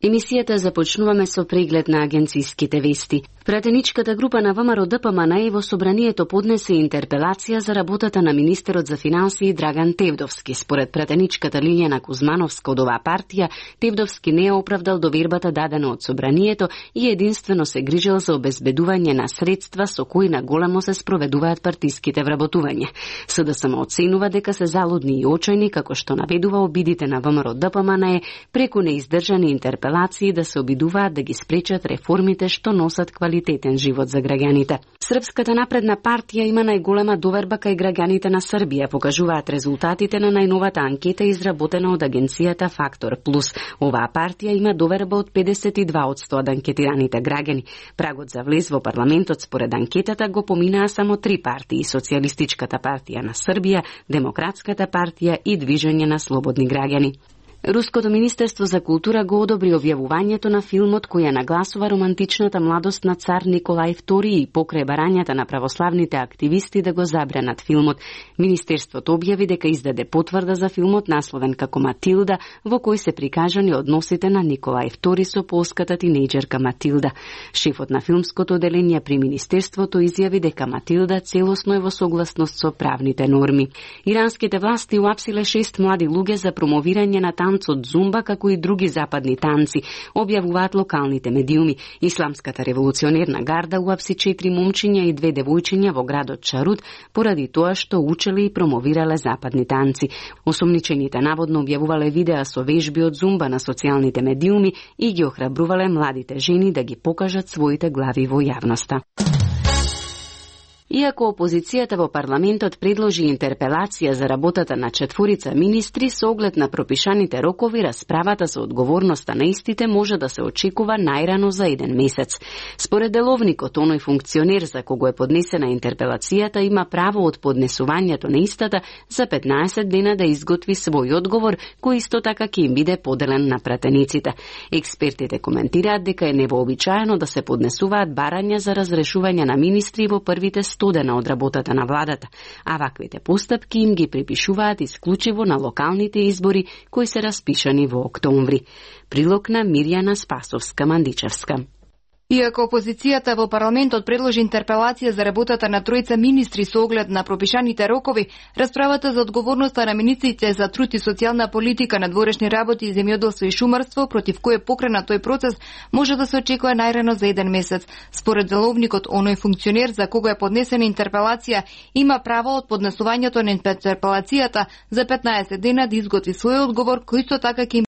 Емисијата започнуваме со преглед на агенциските вести. Пратеничката група на ВМРО-ДПМНЕ во собранието поднесе интерпелација за работата на министерот за финансии Драган Тевдовски. Според пратеничката Лиљана Кузмановска од оваа партија, Тевдовски не ја оправдал довербата дадена од собранието и единствено се грижел за обезбедување на средства со кои на големо се спроведуваат партиските вработувања. СДСМ оценува дека се залудни и очајни, како што наведува обидите на ВМРО-ДПМНЕ преку неиздржани интерпелации да се обидуваат да ги спречат реформите што носат квалитетен живот за граѓаните. Српската напредна партија има најголема доверба кај граѓаните на Србија, покажуваат резултатите на најновата анкета изработена од агенцијата Фактор Плюс. Оваа партија има доверба од 52% од анкетираните граѓани. Прагот за влез во парламентот според анкетата го поминаа само 3 партии: Социјалистичката партија на Србија, Демократската партија и Движење на слободни граѓани. Руското министерство за култура го одобри објавувањето на филмот кој ја нагласува романтичната младост на цар Николај II и покрај барањата на православните активисти да го забранат филмот. Министерството објави дека издаде потврда за филмот насловен како Матилда, во кој се прикажани односите на Николај II со полската тинејџерка Матилда. Шефот на филмското оделение при министерството изјави дека Матилда целосно е во согласност со правните норми. Иранските власти уапсиле 6 млади луѓе за промовирање на танцот зумба, како и други западни танци, објавуваат локалните медиуми. Исламската револуционерна гарда уапси 4 момчиња и 2 девојчиња во градот Чарут поради тоа што учеле и промовирале западни танци. Осомничените наводно објавувале видеа со вежби од зумба на социјалните медиуми и ги охрабрувале младите жени да ги покажат своите глави во јавноста. Иако опозицијата во парламентот предложи интерпелација за работата на 4 министри со оглед на пропишаните рокови, расправата за одговорноста на истите може да се очекува најрано за 1 месец. Според деловникот, оној функционер за кого е поднесена интерпелацијата има право од поднесувањето на истата за 15 дена да изготви свој одговор, кој исто така ќе им биде поделен на пратениците. Експертите коментираат дека е невообичаено да се поднесуваат барања за разрешување на министри во првите 100 дена од работата на владата, а ваквите постапки им ги припишуваат исклучиво на локалните избори кои се распишани во октомври. Прилог на Мирјана Спасовска-Мандичевска. Иако опозицијата во парламентот предложи интерпелација за работата на 3 министри со оглед на пропишаните рокови, расправата за одговорноста на министрите за труд и социјална политика, надворешни работи, земјоделство и шумарство, против кој е покренат тој процес, може да се очекува најрано за 1 месец. Според деловникот, оној функционер за кого е поднесена интерпелација има право од поднесувањето на интерпелацијата за 15 дена да изготви свој одговор, кој исто така ќе